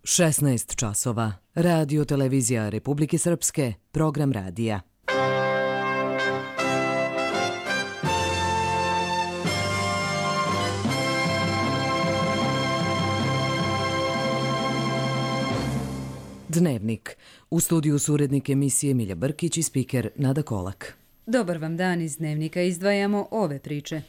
16 časova. Radio televizija Republike Srpske, program radija. Dnevnik. U studiju su urednik emisije Milja Brkić i spiker Nada Kolak. Dobar vam dan, iz Dnevnika izdvajamo ove priče.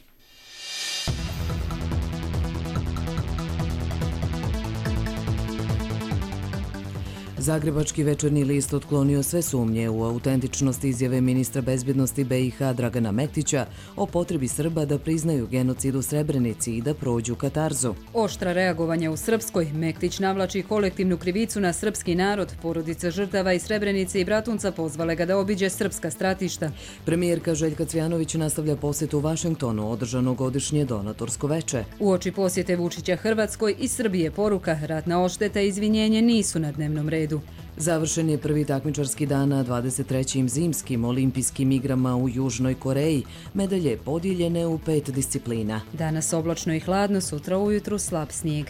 Zagrebački večernji list otklonio sve sumnje u autentičnost izjave ministra bezbjednosti BiH Dragana Mektića o potrebi Srba da priznaju genocid u Srebrenici i da prođu katarzu. Oštra reagovanja u Srpskoj. Mektić navlači kolektivnu krivicu na srpski narod. Porodica žrtava iz Srebrenice i Bratunca pozvale ga da obiđe srpska stratišta. Premijerka Željka Cvjanović nastavlja posjetu u Vašingtonu, održano godišnje donatorsko veče. Uoči posjete Vučića Hrvatskoj i Srbije poruka: ratna odšteta i izvinjenje nisu na dnevnom redu. Završen je prvi takmičarski dan na 23. zimskim olimpijskim igrama u Južnoj Koreji. Medalje podijeljene u 5 disciplina. Danas oblačno i hladno, sutra ujutru slab snijeg.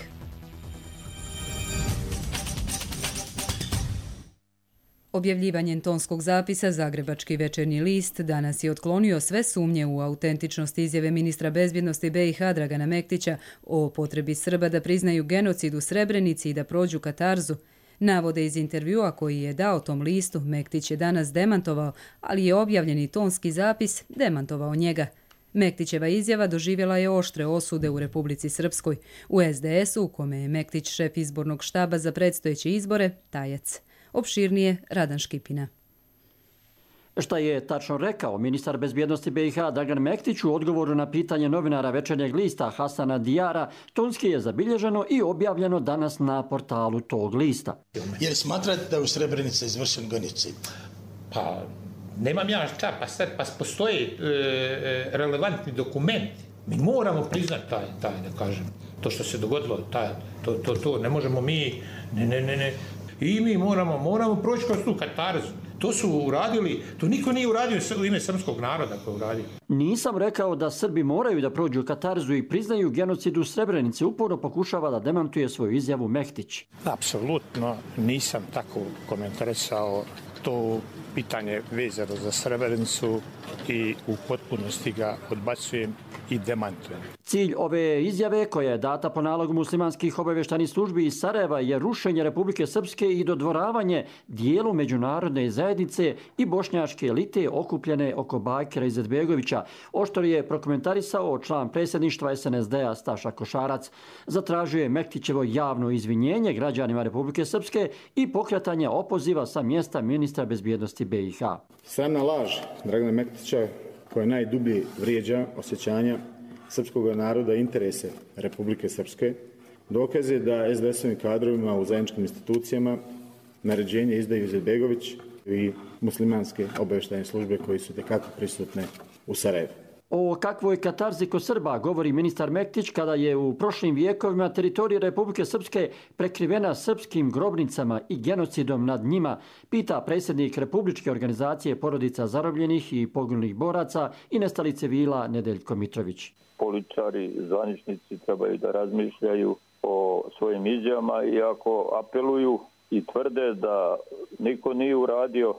Objavljivanjem tonskog zapisa Zagrebački večernji list danas je otklonio sve sumnje u autentičnost izjave ministra bezbjednosti BiH Dragana Mektića o potrebi Srba da priznaju genocid u Srebrenici i da prođu katarzu. Navode iz intervjua koji je dao tom listu, Mektić je danas demantovao, ali je objavljeni tonski zapis demantovao njega. Mektićeva izjava doživjela je oštre osude u Republici Srpskoj. U SDS-u, u kome je Mektić šef izbornog štaba za predstojeće izbore, tajac. Opširnije Radan Škipina. Šta je tačno rekao ministar bezbjednosti BiH Dragan Mektić u odgovoru na pitanje novinara večernjeg lista Hasana Dijara, tonski je zabilježeno i objavljeno danas na portalu tog lista. Jer smatrate da je u Srebrenici izvršen genocid? Pa, nemam ja šta, pa postoje relevantni dokumenti. Mi moramo priznati taj, da kažem, to što se dogodilo, to ne možemo mi, ne. I mi moramo proći kroz tu katarzu. To su uradili, to niko nije uradio u ime srpskog naroda koji je uradio. Nisam rekao da Srbi moraju da prođu katarzu i priznaju genocid u Srebrenici, uporno pokušava da demantuje svoju izjavu Mektić. Apsolutno nisam tako komentarisao to pitanje vezano za Srebrenicu i u potpunosti ga odbacujem i demantujem. Cilj ove izjave, koja je data po nalogu muslimanskih obavještajnih službi iz Sarajeva, je rušenje Republike Srpske i dodvoravanje dijelu međunarodne zajednice i bošnjačke elite okupljene oko Bakira Izetbegovića, oštro je prokomentarisao član predsjedništva SNSD-a Staša Košarac. Zatražio je Mektićevo javno izvinjenje građanima Republike Srpske i pokretanje opoziva sa mjesta ministra bezbjednosti BiH. Sramna laž Dragana Mektića, koja najdublje vrijeđa osjećanja srpskog naroda i interese Republike Srpske, dokaz je da SDS-ovim kadrovima u zajedničkim institucijama naređenje izdaju Izetbegović i muslimanske obavještajne službe koji su tekako prisutne u Sarajevu. O kakvoj katarzi kod Srba govori ministar Mektić kada je u prošlim vijekovima teritorija Republike Srpske prekrivena srpskim grobnicama i genocidom nad njima, pita predsjednik Republičke organizacije porodica zarobljenih i poginulih boraca i nestalih civila Nedeljko Mitrović. Političari, zvaničnici trebaju da razmišljaju o svojim izjavama i ako apeluju i tvrde da niko nije uradio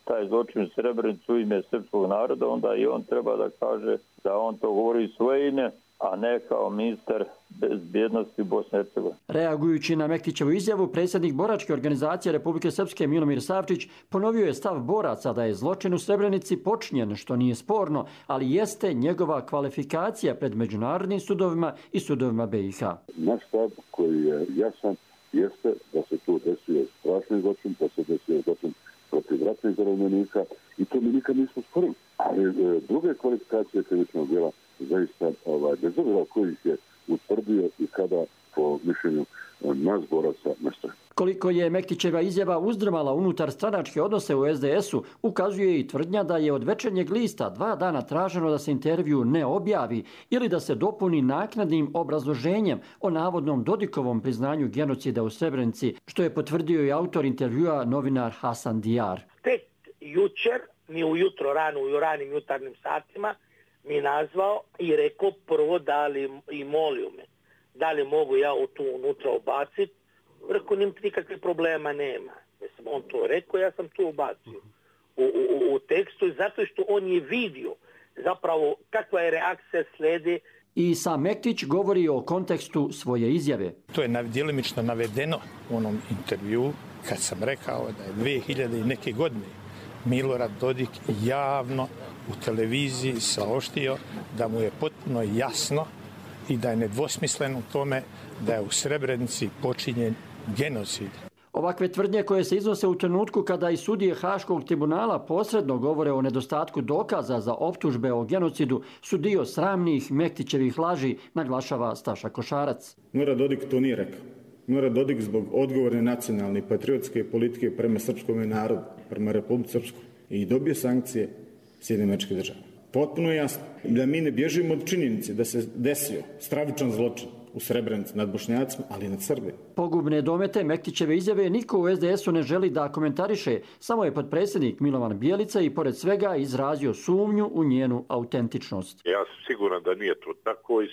taj zločin u Srebrenicu u ime srpskog naroda, onda i on treba da kaže da on to govori svoje ime, a ne kao ministar bezbjednosti Bosne i Hercegovine. Reagujući na Mektićevu izjavu, predsjednik boračke organizacije Republike Srpske Milomir Savčić ponovio je stav boraca da je zločin u Srebrenici počinjen, što nije sporno, ali jeste njegova kvalifikacija pred međunarodnim sudovima i sudovima BiH. Naš stav koji je jasan jeste da se tu desio strašni zločin, da se desio zločin protiv ratnih zarobljenika i to mi nikad nismo sporili. Ali druge kvalifikacije krivičnog djela zaista bez obzira koji ih je utvrdio i kada po mišljenju nas boraca nastoje. Koliko je Mektićeva izjava uzdrmala unutar stranačke odnose u SDS-u, ukazuje i tvrdnja da je od večernjeg lista 2 dana traženo da se intervju ne objavi ili da se dopuni naknadnim obrazloženjem o navodnom Dodikovom priznanju genocida u Srebrenici, što je potvrdio i autor intervjua novinar Hasan Dijar. Tek jučer, mi ujutro rano u ranim jutarnjim satima, mi nazvao i rekao prvo da li i molio me da li mogu ja tu unutra ubaciti Rekao, nikakvih problema nema. Mislim, on to rekao, ja sam to ubacio u tekstu, zato što on je vidio zapravo kakva je reakcija slijedi. I sam Mektić govori o kontekstu svoje izjave. To je djelimično navedeno u onom intervju kad sam rekao da je 2000 i neke godine Milorad Dodik javno u televiziji saopštio da mu je potpuno jasno i da je nedvosmislen u tome da je u Srebrenici počinjen genocid. Ovakve tvrdnje koje se iznose u trenutku kada i sudije Haškog tribunala posredno govore o nedostatku dokaza za optužbe o genocidu su dio sramnih Mektićevih laži, naglašava Staša Košarac. Milorad Dodik to nije rekao. Milorad Dodik zbog odgovorne nacionalne i patriotske politike prema srpskom narodu, prema Republici Srpskoj i dobio sankcije Sjedinjenih Država. Potpuno jasno da mi ne bježimo od činjenice da se desio stravičan zločin u Srebrenici nad Bošnjacima, ali i nad Srbima. Pogubne domete Mektićeve izjave niko u SDS-u ne želi da komentariše, samo je potpredsjednik Milovan Bijelica i pored svega izrazio sumnju u njenu autentičnost. Ja sam siguran da nije to tako i 100%,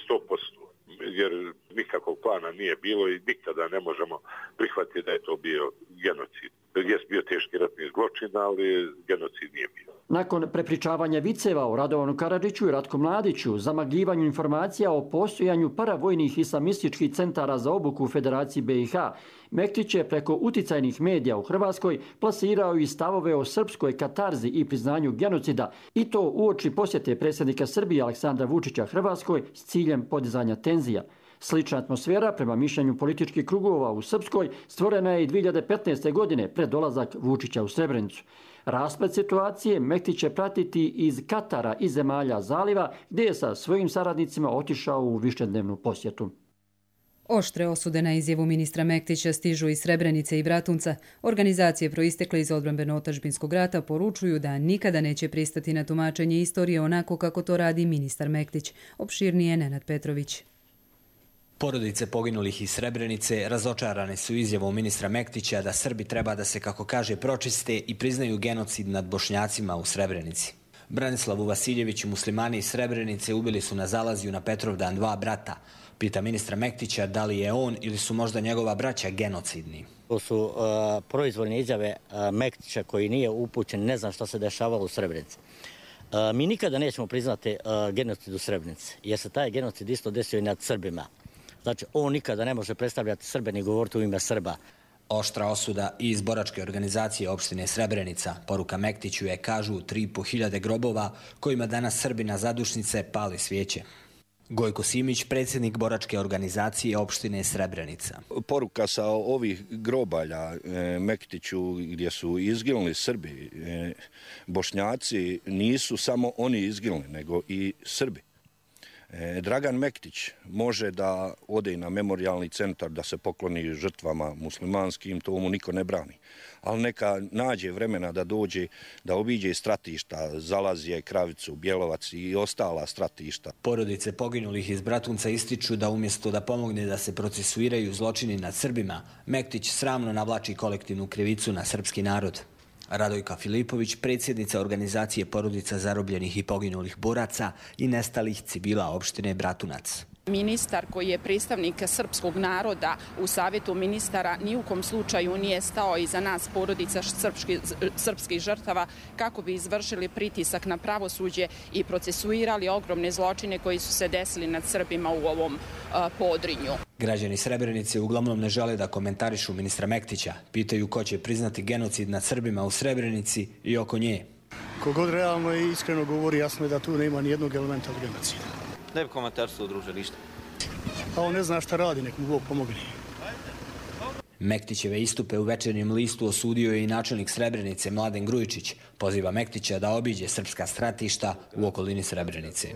jer nikakvog plana nije bilo i nikada ne možemo prihvatiti da je to bio genocid. Jest bio teški ratni zločin, ali genocid nije bio. Nakon prepričavanja viceva o Radovanu Karadžiću i Ratku Mladiću, zamagljivanju informacija o postojanju paravojnih islamističkih centara za obuku u Federaciji BiH, Mektić je preko uticajnih medija u Hrvatskoj plasirao i stavove o srpskoj katarzi i priznanju genocida, i to uoči posjete predsjednika Srbije Aleksandra Vučića Hrvatskoj s ciljem podizanja tenzija. Slična atmosfera, prema mišljenju političkih krugova u Srpskoj, stvorena je i 2015. godine pred dolazak Vučića u Srebrenicu. Rasplet situacije Mektić će pratiti iz Katara i zemalja zaliva, gdje je sa svojim saradnicima otišao u višednevnu posjetu. Oštre osude na izjavu ministra Mektića stižu iz Srebrenice i Bratunca. Organizacije proistekle iz odbrambeno-otadžbinskog rata poručuju da nikada neće pristati na tumačenje istorije onako kako to radi ministar Mektić. Opširnije Nenad Petrović. Porodice poginulih iz Srebrenice razočarane su izjavom ministra Mektića da Srbi treba da se, kako kaže, pročiste i priznaju genocid nad Bošnjacima u Srebrenici. Branislavu Vasiljeviću muslimani iz Srebrenice ubili su na Zalaziju na Petrovdan 2 brata. Pita ministra Mektića da li je on ili su možda njegova braća genocidni. To su proizvoljne izjave Mektića koji nije upućen, ne znam što se dešavalo u Srebrenici. Mi nikada nećemo priznati genocid u Srebrenici, jer se taj genocid isto desio i nad Srbima. Znači, on nikada ne može predstavljati Srbe ni govoriti u ime Srba. Oštra osuda i iz boračke organizacije opštine Srebrenica. Poruka Mektiću je, kažu, 3.500 grobova kojima danas Srbi na zadušnice pali svijeće. Gojko Simić, predsjednik boračke organizacije opštine Srebrenica. Poruka sa ovih grobalja Mektiću gdje su izginuli Srbi, Bošnjaci, nisu samo oni izginuli, nego i Srbi. Dragan Mektić može da ode i na memorijalni centar da se pokloni žrtvama muslimanskim, to mu niko ne brani. Ali neka nađe vremena da dođe, da obiđe stratišta, Zalazije, Kravicu, Bjelovac i ostala stratišta. Porodice poginulih iz Bratunca ističu da umjesto da pomogne da se procesuiraju zločini nad Srbima, Mektić sramno navlači kolektivnu krivicu na srpski narod. Radojka Filipović, predsjednica organizacije porodica zarobljenih i poginulih boraca i nestalih civila opštine Bratunac. Ministar koji je predstavnik srpskog naroda u Savjetu ministara ni u kom slučaju nije stao iza nas, porodica srpskih žrtava, kako bi izvršili pritisak na pravosuđe i procesuirali ogromne zločine koji su se desili nad Srbima u ovom podrinju. Građani Srebrenice uglavnom ne žele da komentarišu ministra Mektića. Pitaju ko će priznati genocid nad Srbima u Srebrenici i oko nje. Kogod realno i iskreno govori, jasno je da tu nema ni jednog elementa od genocida. Ne bi komentarstvo, druže, ništa. A on ne zna šta radi, nek mu Bog pomogne. Mektićeve istupe u Večernjem listu osudio je i načelnik Srebrenice Mladen Grujičić. Poziva Mektića da obiđe srpska stratišta u okolini Srebrenice.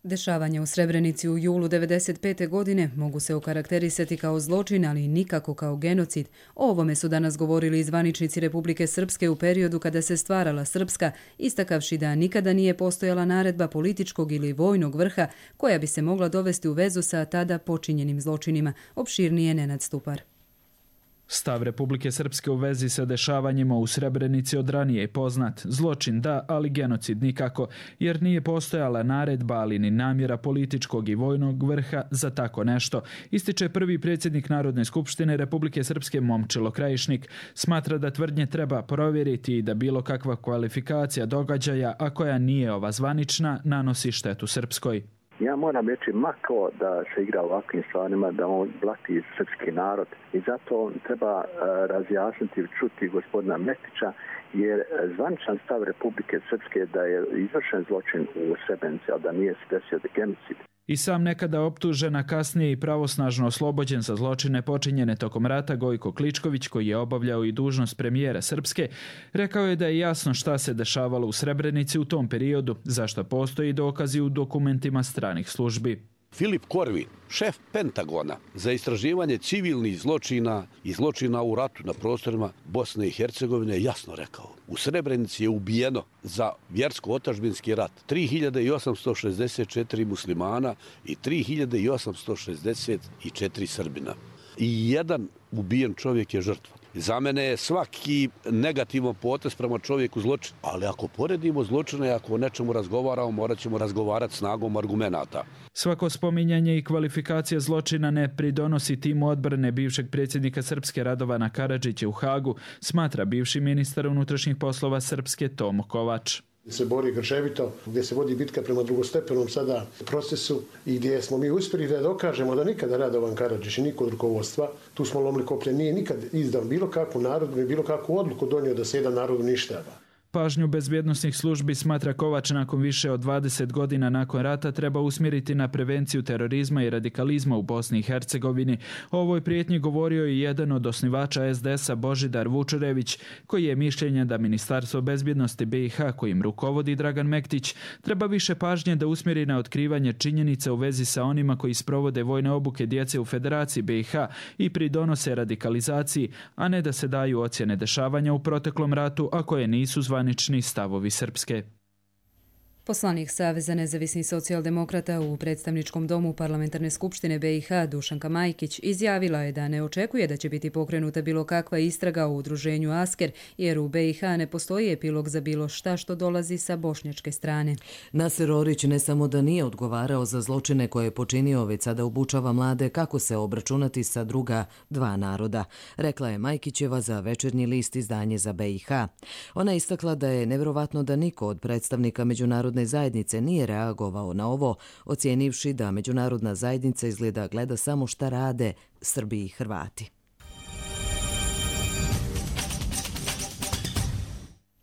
Dešavanja u Srebrenici u julu 1995. godine mogu se okarakterisati kao zločin, ali nikako kao genocid. O ovome su danas govorili zvaničnici Republike Srpske u periodu kada se stvarala Srpska, istakavši da nikada nije postojala naredba političkog ili vojnog vrha koja bi se mogla dovesti u vezu sa tada počinjenim zločinima. Opširnije Nenad Stupar. Stav Republike Srpske u vezi sa dešavanjima u Srebrenici od ranije je poznat. Zločin da, ali genocid nikako, jer nije postojala naredba, ali ni namjera političkog i vojnog vrha za tako nešto. Ističe prvi predsjednik Narodne skupštine Republike Srpske Momčilo Krajišnik. Smatra da tvrdnje treba provjeriti i da bilo kakva kvalifikacija događaja, a koja nije ova zvanična, nanosi štetu Srpskoj. Ja moram reći mako da se igra ovakvim stvarima, da on blati srpski narod i zato treba razjasniti i čuti gospodina Mektića, jer zvaničan stav Republike Srpske da je izvršen zločin u Srebrenici, a da nije se desio genocid. I sam nekada optužen, a kasnije i pravosnažno oslobođen za zločine počinjene tokom rata Gojko Kličković, koji je obavljao i dužnost premijera Srpske, rekao je da je jasno šta se dešavalo u Srebrenici u tom periodu, zašto postoji dokazi u dokumentima stranih službi. Filip Korvin, šef Pentagona za istraživanje civilnih zločina i zločina u ratu na prostorima Bosne i Hercegovine, jasno rekao: u Srebrenici je ubijeno za vjersko-otačbinski rat 3864 muslimana i 3864 Srbina. I jedan ubijen čovjek je žrtva. Za mene je svaki negativan potez prema čovjeku zločin. Ali ako poredimo zločine, ako o nečemu razgovaramo, morat ćemo razgovarati snagom argumenata. Svako spominjanje i kvalifikacija zločina ne pridonosi timu odbrane bivšeg predsjednika Srpske Radovana Karadžića u Hagu, smatra bivši ministar unutrašnjih poslova Srpske Tomo Kovač. Se bori grčevito, gdje se vodi bitka prema drugostepenom sada procesu i gdje smo mi uspjeli da dokažemo da nikada Radovan Karadžić i niko od rukovodstva, tu smo lomili koplje, nije nikad izdao bilo kakvu narodu i bilo kakvu odluku donio da se jedan narod uništava. Pažnju bezbjednosnih službi, smatra Kovač, nakon više od 20 godina nakon rata treba usmjeriti na prevenciju terorizma i radikalizma u Bosni i Hercegovini. O ovoj prijetnji govorio i jedan od osnivača SDS-a Božidar Vučurević, koji je mišljenja da Ministarstvo bezbjednosti BiH, kojim rukovodi Dragan Mektić, treba više pažnje da usmjeri na otkrivanje činjenica u vezi sa onima koji sprovode vojne obuke djece u Federaciji BiH i pridonose radikalizaciji, a ne da se daju ocjene dešavanja u proteklom ratu, a koje nisu zvanični stavovi Srpske. Poslanik Saveza nezavisnih socijaldemokrata u predstavničkom domu Parlamentarne skupštine BiH Dušanka Majkić izjavila je da ne očekuje da će biti pokrenuta bilo kakva istraga o udruženju Asker, jer u BiH ne postoji epilog za bilo šta što dolazi sa bošnjačke strane. Naser Orić ne samo da nije odgovarao za zločine koje je počinio, već sada obučava mlade kako se obračunati sa druga dva naroda, rekla je Majkićeva za Večernji list, izdanje za BiH. Ona je istakla da je nevjerovatno da niko od predstavnika međunarodne zajednice nije reagovao na ovo, ocijenivši da međunarodna zajednica izgleda gleda samo šta rade Srbi i Hrvati.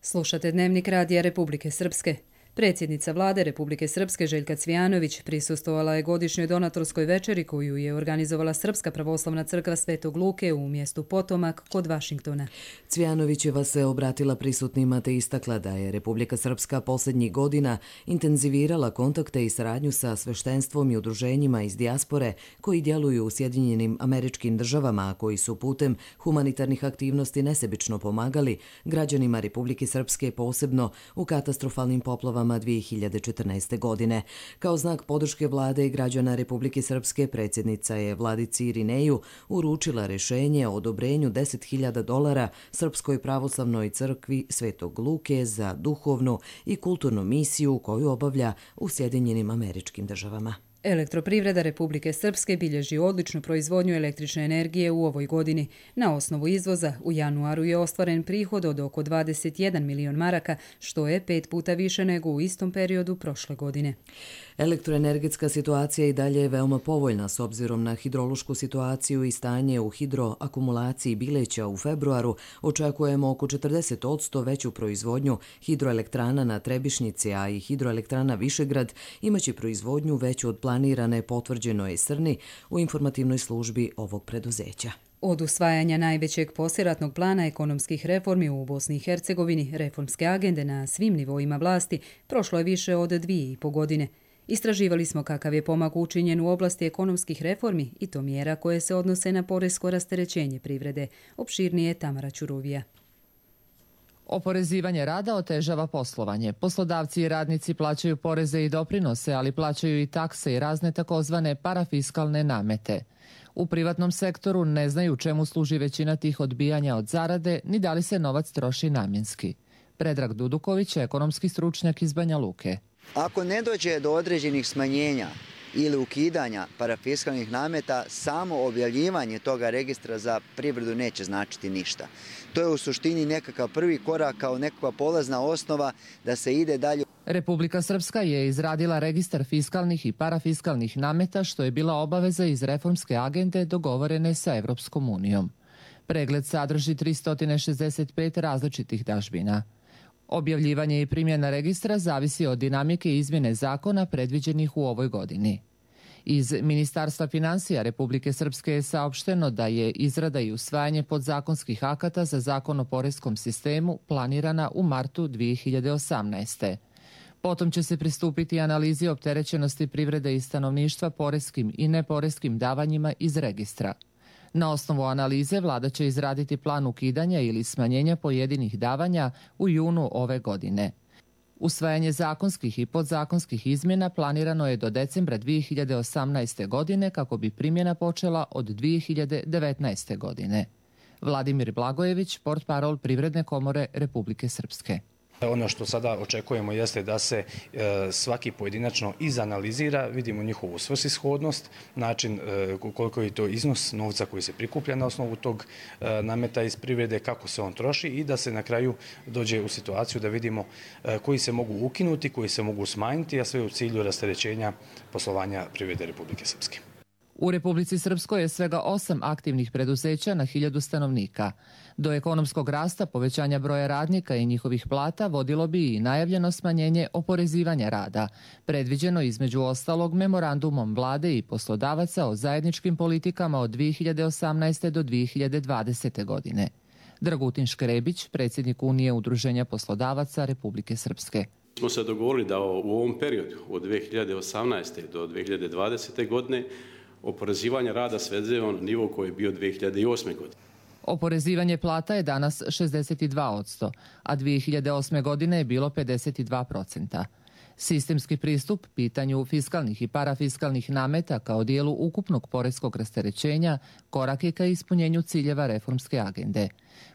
Slušate Dnevnik radija Republike Srpske. Predsjednica vlade Republike Srpske Željka Cvijanović prisustvovala je godišnjoj donatorskoj večeri koju je organizovala Srpska pravoslavna crkva Svetog Luke u mjestu Potomak kod Vašingtona. Cvijanovićeva se obratila prisutnima te istakla da je Republika Srpska posljednjih godina intenzivirala kontakte i saradnju sa sveštenstvom i udruženjima iz dijaspore koji djeluju u Sjedinjenim Američkim Državama, a koji su putem humanitarnih aktivnosti nesebično pomagali građanima Republike Srpske, posebno u katastrofalnim poplavama 2014. godine. Kao znak podrške vlade i građana Republike Srpske, predsjednica je vladici Irineju uručila rješenje o odobrenju $10.000 Srpskoj pravoslavnoj crkvi Svetog Luke za duhovnu i kulturnu misiju koju obavlja u Sjedinjenim Američkim Državama. Elektroprivreda Republike Srpske bilježi odličnu proizvodnju električne energije u ovoj godini. Na osnovu izvoza u januaru je ostvaren prihod od oko 21 milion maraka, što je 5 puta više nego u istom periodu prošle godine. Elektroenergetska situacija i dalje je veoma povoljna s obzirom na hidrološku situaciju i stanje u hidroakumulaciji Bileća u februaru. Očekujemo oko 40% veću proizvodnju. Hidroelektrana na Trebišnjici, a i hidroelektrana Višegrad imaće proizvodnju veću od planirane, potvrđeno je Srni u informativnoj službi ovog preduzeća. Od usvajanja najvećeg poslijeratnog plana ekonomskih reformi u Bosni i Hercegovini, reformske agende na svim nivoima vlasti, prošlo je više od 2,5 godine. Istraživali smo kakav je pomak učinjen u oblasti ekonomskih reformi i to mjera koje se odnose na poresko rasterećenje privrede. Opširnije Tamara Ćuruvija. Oporezivanje rada otežava poslovanje. Poslodavci i radnici plaćaju poreze i doprinose, ali plaćaju i takse i razne takozvane parafiskalne namete. U privatnom sektoru ne znaju čemu služi većina tih odbijanja od zarade, ni da li se novac troši namjenski. Predrag Duduković, ekonomski stručnjak iz Banja Luke. Ako ne dođe do određenih smanjenja ili ukidanja parafiskalnih nameta, samo objavljivanje toga registra za privredu neće značiti ništa. To je u suštini nekakav prvi korak kao nekakva polazna osnova da se ide dalje. Republika Srpska je izradila registar fiskalnih i parafiskalnih nameta, što je bila obaveza iz reformske agende dogovorene sa Evropskom unijom. Pregled sadrži 365 različitih dažbina. Objavljivanje i primjena registra zavisi od dinamike izmjene zakona predviđenih u ovoj godini. Iz Ministarstva financija Republike Srpske je saopšteno da je izrada i usvajanje podzakonskih akata za zakon o poreskom sistemu planirana u martu 2018. Potom će se pristupiti analizi opterećenosti privrede i stanovništva poreskim i neporeskim davanjima iz registra. Na osnovu analize vlada će izraditi plan ukidanja ili smanjenja pojedinih davanja u junu ove godine. Usvajanje zakonskih i podzakonskih izmjena planirano je do decembra 2018. godine kako bi primjena počela od 2019. godine. Vladimir Blagojević, portparol Privredne komore Republike Srpske. Ono što sada očekujemo jeste da se svaki pojedinačno izanalizira, vidimo njihovu svrsishodnost, način koliko je to iznos novca koji se prikuplja na osnovu tog nameta iz privrede, kako se on troši i da se na kraju dođe u situaciju da vidimo koji se mogu ukinuti, koji se mogu smanjiti, a sve u cilju rasterećenja poslovanja privrede Republike Srpske. U Republici Srpskoj je svega 8 aktivnih preduzeća na 1000 stanovnika. Do ekonomskog rasta, povećanja broja radnika i njihovih plata vodilo bi i najavljeno smanjenje oporezivanja rada, predviđeno između ostalog memorandumom vlade i poslodavaca o zajedničkim politikama od 2018. do 2020. godine. Dragutin Škrebić, predsjednik Unije udruženja poslodavaca Republike Srpske. Smo se dogovorili da u ovom periodu od 2018. do 2020. godine oporezivanje rada svedemo na nivo koji je bio 2008. godine. Oporezivanje plata je danas 62%, a 2008. godine je bilo 52%. Sistemski pristup pitanju fiskalnih i parafiskalnih nameta kao dijelu ukupnog poreskog rasterećenja korak je ka ispunjenju ciljeva reformske agende.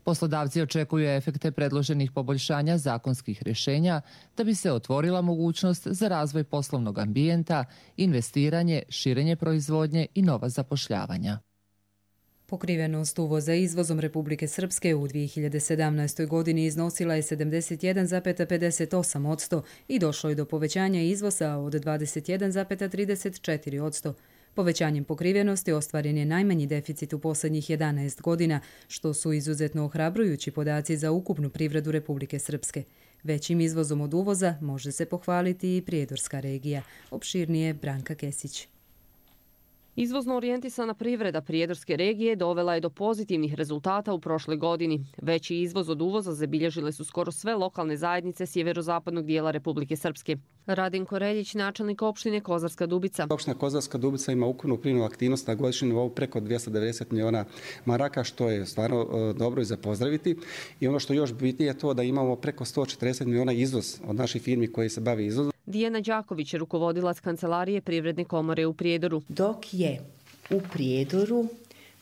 Poslodavci očekuju efekte predloženih poboljšanja zakonskih rješenja da bi se otvorila mogućnost za razvoj poslovnog ambijenta, investiranje, širenje proizvodnje i nova zapošljavanja. Pokrivenost uvoza izvozom Republike Srpske u 2017. godini iznosila je 71,58% i došlo je do povećanja izvoza od 21,34%. Povećanjem pokrivenosti ostvaren je najmanji deficit u posljednjih 11 godina, što su izuzetno ohrabrujući podaci za ukupnu privredu Republike Srpske. Većim izvozom od uvoza može se pohvaliti i Prijedorska regija. Opširnije Branka Kesić. Izvozno orijentisana privreda Prijedorske regije dovela je do pozitivnih rezultata u prošloj godini. Veći izvoz od uvoza zabilježile su skoro sve lokalne zajednice sjeverozapadnog dijela Republike Srpske. Radinko Reljić, načelnik opštine Kozarska Dubica. Opština Kozarska Dubica ima ukupnu primljenu aktivnost na godišnjem nivou preko 290 miliona maraka, što je stvarno dobro i za pozdraviti. I ono što još bitnije je to da imamo preko 140 miliona izvoz od naših firmi koji se bavi izvozom. Dijana Đaković, rukovodilac Kancelarije Privredne komore u Prijedoru. Dok je u Prijedoru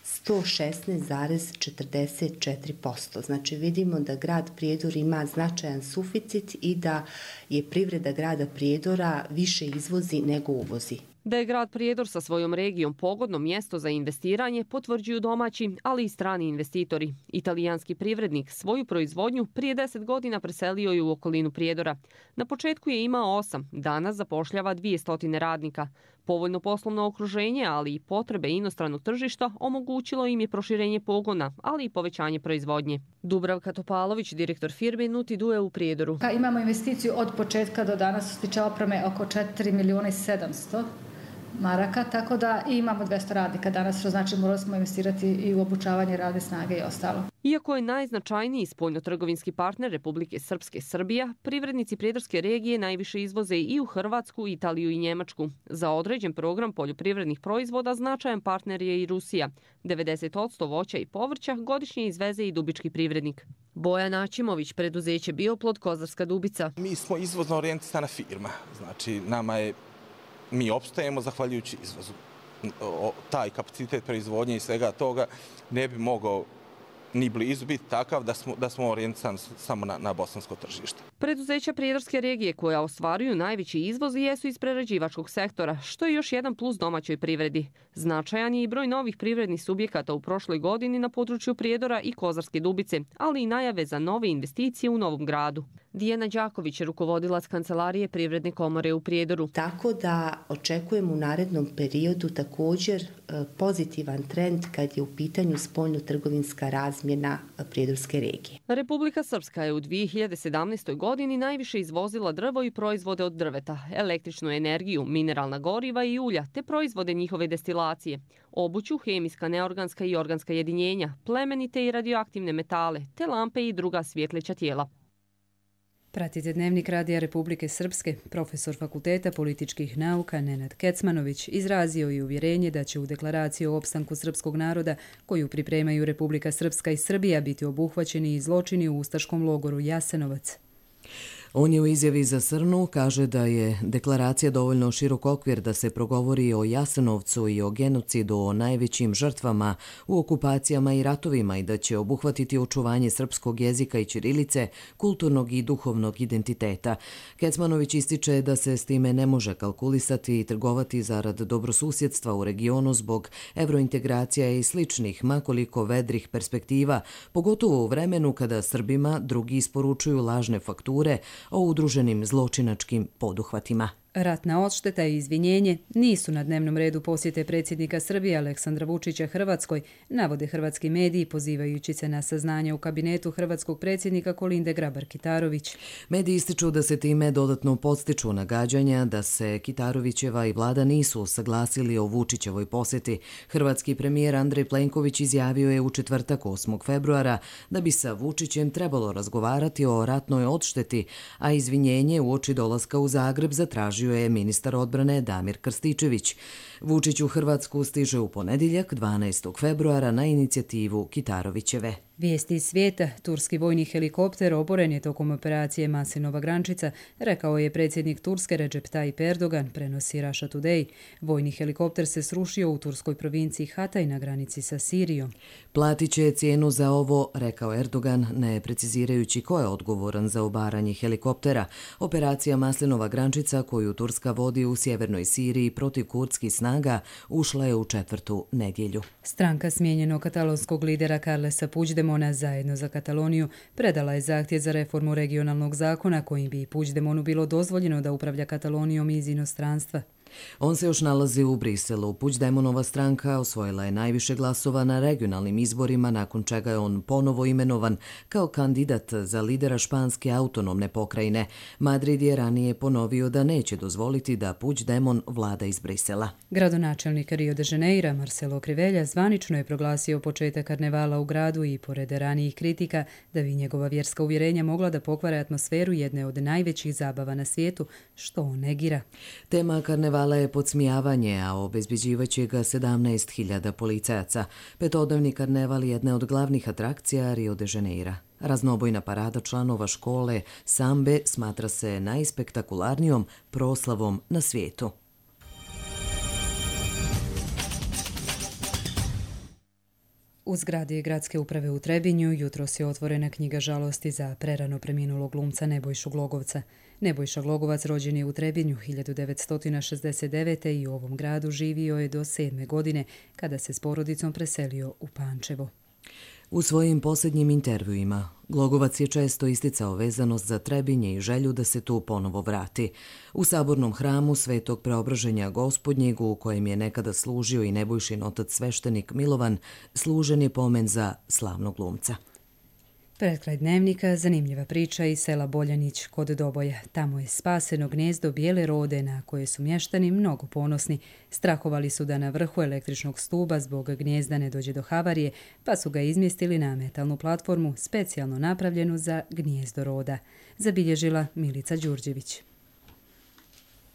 116,44%. Znači vidimo da grad Prijedor ima značajan suficit i da je privreda grada Prijedora više izvozi nego uvozi. Da je grad Prijedor sa svojom regijom pogodno mjesto za investiranje potvrđuju domaći, ali i strani investitori. Italijanski privrednik svoju proizvodnju prije 10 godina preselio je u okolinu Prijedora. Na početku je imao 8, danas zapošljava 200 radnika. Povoljno poslovno okruženje, ali i potrebe inostranog tržišta omogućilo im je proširenje pogona, ali i povećanje proizvodnje. Dubravka Topalović, direktor firme Nutidue u Prijedoru. Imamo investiciju od početka do danas što se tiče opreme oko 4.700.000 maraka, tako da imamo 200 radnika danas, što znači morali smo investirati i u obučavanje radne snage i ostalo. Iako je najznačajniji spoljnotrgovinski partner Republike Srpske Srbija, privrednici Prijedorske regije najviše izvoze i u Hrvatsku, Italiju i Njemačku. Za određen program poljoprivrednih proizvoda značajan partner je i Rusija. 90% voća i povrća godišnje izveze i dubički privrednik. Bojan Aćimović, preduzeće Bioplod Kozarska Dubica. Mi smo izvozno orijentisana firma, znači mi opstajemo zahvaljujući izvozu. taj kapacitet proizvodnje i svega toga ne bi mogao ni blizu biti takav da smo orijentisani samo na bosansko tržište. Preduzeća prijedorske regije koja ostvaruju najveći izvoz jesu iz prerađivačkog sektora, što je još jedan plus domaćoj privredi. Značajan je i broj novih privrednih subjekata u prošloj godini na području Prijedora i Kozarske Dubice, ali i najave za nove investicije u Novom Gradu. Dijana Đaković, rukovodilac Kancelarije Privredne komore u Prijedoru. Tako da očekujemo u narednom periodu također pozitivan trend kad je u pitanju spoljno-trgovinska razmjena Prijedorske regije. Republika Srpska je u 2017. godini najviše izvozila drvo i proizvode od drveta, električnu energiju, mineralna goriva i ulja, te proizvode njihove destilacije, obuću, hemijska, neorganska i organska jedinjenja, plemenite i radioaktivne metale, te lampe i druga svjetleća tijela. Pratite Dnevnik Radija Republike Srpske. Profesor Fakulteta političkih nauka Nenad Kecmanović izrazio i uvjerenje da će u deklaraciji o opstanku srpskog naroda, koju pripremaju Republika Srpska i Srbija, biti obuhvaćeni i zločini u ustaškom logoru Jasenovac. On je u izjavi za Srnu kaže da je deklaracija dovoljno širok okvir da se progovori o Jasenovcu i o genocidu, o najvećim žrtvama u okupacijama i ratovima i da će obuhvatiti očuvanje srpskog jezika i ćirilice, kulturnog i duhovnog identiteta. Kecmanović ističe da se s time ne može kalkulisati i trgovati zarad dobrosusjedstva u regionu zbog evrointegracija i sličnih, makoliko vedrih perspektiva, pogotovo u vremenu kada Srbima drugi isporučuju lažne fakture o udruženim zločinačkim poduhvatima. Ratna odšteta i izvinjenje nisu na dnevnom redu posjete predsjednika Srbije Aleksandra Vučića Hrvatskoj, navode hrvatski mediji pozivajući se na saznanje u kabinetu hrvatskog predsjednika Kolinde Grabar-Kitarović. Mediji ističu da se time dodatno podstiču nagađanja da se Kitarovićeva i vlada nisu saglasili o Vučićevoj posjeti. Hrvatski premijer Andrej Plenković izjavio je u četvrtak 8. februara da bi sa Vučićem trebalo razgovarati o ratnoj odšteti, a izvinjenje uoči dolaska u Zagreb zatražio je ministar odbrane Damir Krstičević. Vučić u Hrvatsku stiže u ponedjeljak 12. februara na inicijativu Kitarovićeve. Vijesti iz svijeta. Turski vojni helikopter oboren je tokom operacije Maslinova Grančica, rekao je predsjednik Turske Recep Tayyip Erdogan, prenosi Russia Today. Vojni helikopter se srušio u turskoj provinciji Hatay na granici sa Sirijom. Platit će cijenu za ovo, rekao Erdogan, ne precizirajući ko je odgovoran za obaranje helikoptera. Operacija Maslinova Grančica, koju Turska vodi u sjevernoj Siriji protiv kurdskih snaga, ušla je u 4. nedjelju. Stranka smijenjenog katalonskog lidera Carlesa Puigdemona Zajedno za Kataloniju predala je zahtjev za reformu regionalnog zakona kojim bi Puigdemonu bilo dozvoljeno da upravlja Katalonijom iz inostranstva. On se još nalazi u Briselu. Puigdemonova stranka osvojila je najviše glasova na regionalnim izborima, nakon čega je on ponovo imenovan kao kandidat za lidera španske autonomne pokrajine. Madrid je ranije ponovio da neće dozvoliti da Puigdemon vlada iz Brisela. Gradonačelnik Rio de Janeira Marcelo Crivella zvanično je proglasio početak karnevala u gradu i pored ranijih kritika da bi njegova vjerska uvjerenja mogla da pokvare atmosferu jedne od najvećih zabava na svijetu, što on negira. Tema karnevala je podsmijavanje, a obezbeđivaće ga 17.000 policajaca. Petodnevni karneval je jedna od glavnih atrakcija Rio de Janeira. Raznobojna parada članova škole sambe smatra se najspektakularnijom proslavom na svijetu. U zgradi gradske uprave u Trebinju jutros je otvorena knjiga žalosti za prerano preminulog glumca Nebojšu Glogovca. Nebojša Glogovac rođen je u Trebinju 1969. i u ovom gradu živio je do 7. godine kada se s porodicom preselio u Pančevo. U svojim posljednjim intervjuima Glogovac je često isticao vezanost za Trebinje i želju da se tu ponovo vrati. U sabornom hramu Svetog Preobraženja Gospodnjeg, u kojem je nekada služio i Nebojšin otac sveštenik Milovan, služen je pomen za slavnog glumca. Pred kraj dnevnika zanimljiva priča iz sela Boljanić kod Doboja. Tamo je spaseno gnjezdo bijele rode na koje su mještani mnogo ponosni. Strahovali su da na vrhu električnog stuba zbog gnjezda ne dođe do havarije, pa su ga izmjestili na metalnu platformu specijalno napravljenu za gnjezdo roda. Zabilježila Milica Đurđević.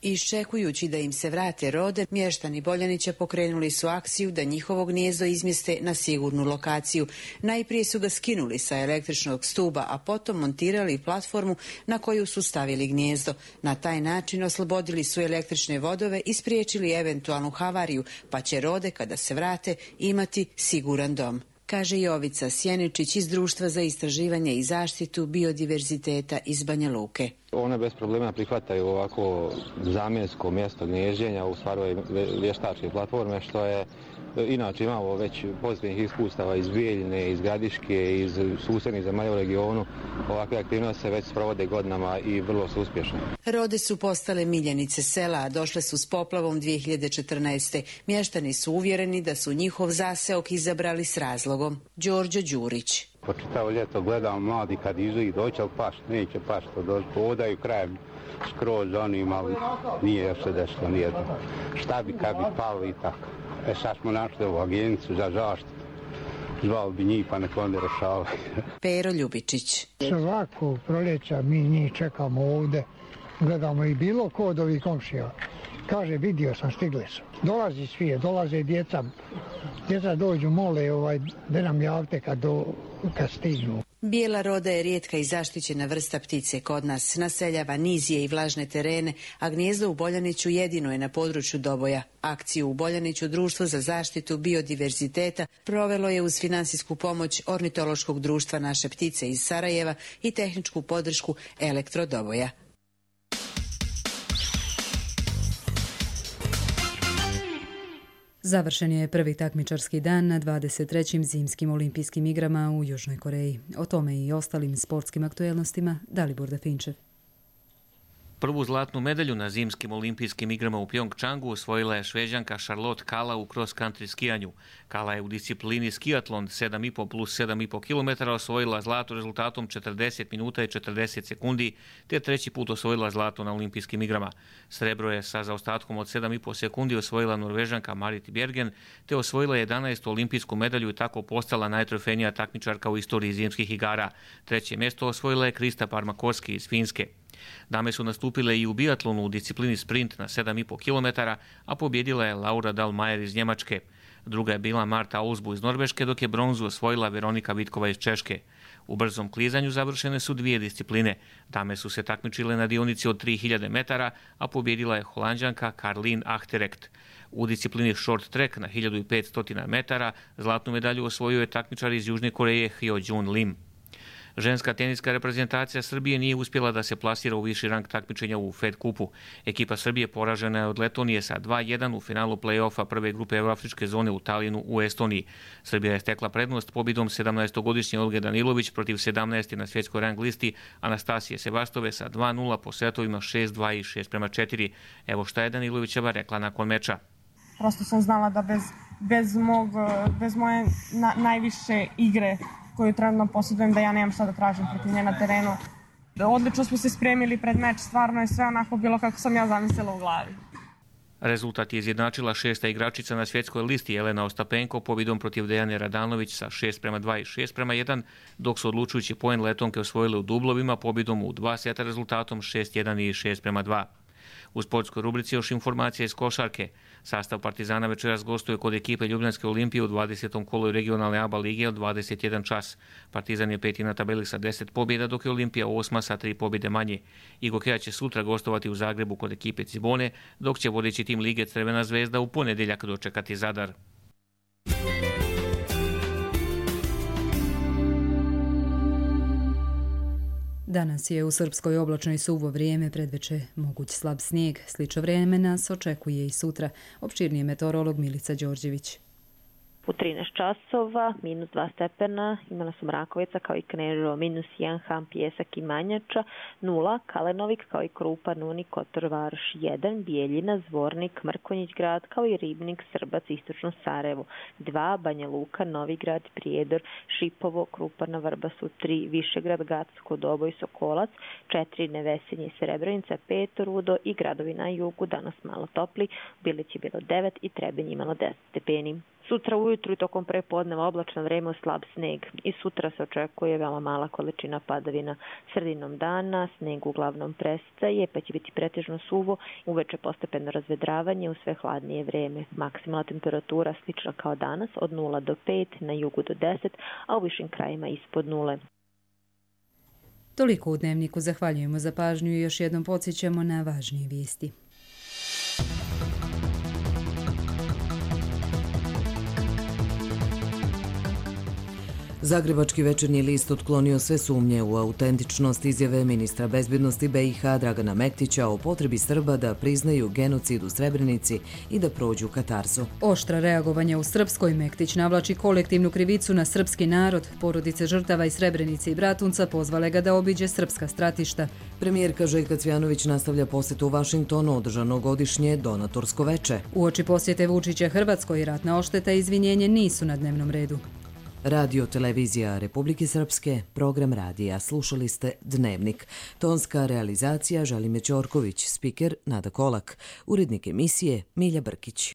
Iščekujući da im se vrate rode, mještani Boljanića pokrenuli su akciju da njihovo gnijezdo izmjeste na sigurnu lokaciju. Najprije su ga skinuli sa električnog stuba, a potom montirali platformu na koju su stavili gnijezdo. Na taj način oslobodili su električne vodove i spriječili eventualnu havariju, pa će rode, kada se vrate, imati siguran dom, kaže Jovica Sjeničić iz Društva za istraživanje i zaštitu biodiverziteta iz Banja Luke. One bez problema prihvataju ovako zamjensko mjesto gnježđenja u stvari vještačke platforme, što je inače imamo već pozitivnih iskustava iz Bijeljine, iz Gradiške, iz susjednih zemalja u regionu. Ovakve aktivnosti se već sprovode godinama i vrlo su uspješne. Rode su postale miljenice sela, a došle su s poplavom 2014. Mještani su uvjereni da su njihov zaseok izabrali s razlogom. Đorđo Đurić. Po čitavo ljeto gledam mladi kad izu i doći, ali pašt, neće pašt, odaju krajem skroz onim, ali nije još se desilo nijedno. Šta bi kad bi palo i tako. Sad smo našli ovu agenciju za zaštitu. Zvao bi njih pa nek onda rešavaju. Pero Ljubičić. Svako proljeća mi njih čekamo ovde, gledamo i bilo ko od ovih komšija. Kaže, vidio sam, stigli su. Dolazi svije, dolaze djeca. Djeca dođu, mole da nam javite kad stignu. Bijela roda je rijetka i zaštićena vrsta ptice kod nas. Naseljava nizije i vlažne terene, a gnijezdo u Boljaniću jedino je na području Doboja. Akciju u Boljaniću Društvo za zaštitu biodiverziteta provelo je uz finansijsku pomoć Ornitološkog društva Naše ptice iz Sarajeva i tehničku podršku Elektro Doboja. Završen je prvi takmičarski dan na 23. zimskim olimpijskim igrama u Južnoj Koreji. O tome i ostalim sportskim aktuelnostima Dalibor Dafinčev. Prvu zlatnu medalju na zimskim olimpijskim igrama u Pjongčangu osvojila je Šveđanka Charlotte Kalla u cross-country skijanju. Kalla je u disciplini skiatlon 7,5 plus 7,5 km osvojila zlato rezultatom 40 minuta i 40 sekundi, te treći put osvojila zlato na olimpijskim igrama. Srebro je sa zaostatkom od 7,5 sekundi osvojila Norvežanka Marit Bjergen, te osvojila 11. olimpijsku medalju i tako postala najtrofejnija takmičarka u istoriji zimskih igara. Treće mjesto osvojila je Krista Parmakorski iz Finske. Dame su nastupile i u biatlonu u disciplini sprint na 7,5 km, a pobjedila je Laura Dahlmeier iz Njemačke. Druga je bila Marta Ausbu iz Norveške, dok je bronzu osvojila Veronika Vitkova iz Češke. U brzom klizanju završene su dvije discipline. Dame su se takmičile na dionici od 3000 metara, a pobjedila je Holanđanka Karlien Achterrecht. U disciplini short track na 1500 metara zlatnu medalju osvojio je takmičar iz Južne Koreje Hyo-jun Lim. Ženska teniska reprezentacija Srbije nije uspjela da se plasira u viši rang takmičenja u Fed kupu. Ekipa Srbije poražena je od Letonije sa 2:1 u finalu play-offa prve grupe Euroafričke zone u Talinu u Estoniji. Srbija je stekla prednost pobjedom 17-godišnje Olge Danilović protiv 17. na svjetskoj rang listi Anastasije Sevastove sa 2:0 po setovima 6:2 i 6:4. Evo šta je Danilovićeva rekla nakon meča. Prosto sam znala da bez moje najviše igre koju trenutno posjedujem, da ja nemam šta da tražim protiv nje na terenu. Odlično smo se spremili pred meč, stvarno je sve onako bilo kako sam ja zamislila u glavi. Rezultat je izjednačila šesta igračica na svjetskoj listi Jelena Ostapenko pobjedom protiv Dejane Radanović sa 6:2 i 6:1, dok su odlučujući poen Letonke osvojile u dublovima pobjedom u 2 seta rezultatom 6:1 i 6:2. U sportskoj rubrici još informacija iz košarke. Sastav Partizana večeras gostuje kod ekipe Ljubljanske Olimpije u 20. kolu regionalne ABA lige od 21 čas. Partizan je 5. na tabeli sa 10 pobjeda, dok je Olimpija 8. sa 3 pobjede manje. Igokeja će sutra gostovati u Zagrebu kod ekipe Cibone, dok će vodeći tim lige Crvena zvezda u ponedjeljak dočekati Zadar. Danas je u Srpskoj oblačno i suvo vrijeme, predveče moguć slab snijeg. Slično vrijeme nas očekuje i sutra. Opširnije meteorolog Milica Đorđević. U 13 časova, -2 stepena, imala su Mrakovica kao i Kneževo, -1 Ham, Pjesak i Manjača, 0 Kalenovik kao i Krupa, Nuni, Kotor, Varoš 1, Bijeljina, Zvornik, Mrkonjić grad kao i Ribnik, Srbac, Istočno Sarajevo 2, Banja Luka, Novi grad, Prijedor, Šipovo, Krupana, Vrbasu 3, Višegrad, Gacko, Doboj, Sokolac 4, Nevesinje, Srebrenica 5, Rudo i gradovi na jugu danas malo topli, Bilić je bilo 9 i Trebinj imalo 10 stepeni. Sutra ujutru i tokom prepodneva oblačno vreme, slab sneg. I sutra se očekuje veoma mala količina padavina. Sredinom dana sneg uglavnom prestaje, pa će biti pretežno suvo, uveče postepeno razvedravanje u sve hladnije vreme. Maksimalna temperatura slična kao danas, od 0 do 5, na jugu do 10, a u višim krajima ispod 0. Toliko u Dnevniku, zahvaljujemo za pažnju i još jednom podsjećamo na važnije vijesti. Zagrebački večernji list otklonio sve sumnje u autentičnost izjave ministra bezbjednosti BiH Dragana Mektića o potrebi Srba da priznaju genocid u Srebrenici i da prođu katarzu. Oštra reagovanja u Srpskoj. Mektić navlači kolektivnu krivicu na srpski narod. Porodice žrtava iz Srebrenice i Bratunca pozvale ga da obiđe srpska stratišta. Premijerka Željka Cvjanović nastavlja posjetu u Vašingtonu, održano godišnje donatorsko veče. Uoči posjete Vučića Hrvatskoj, ratna ošteta i izvinjenje nisu na dnevnom redu. Radio Televizija Republike Srpske, program radija. Slušali ste Dnevnik. Tonska realizacija Želimir Ćorković, spiker Nada Kolak, urednik emisije Milja Brkić.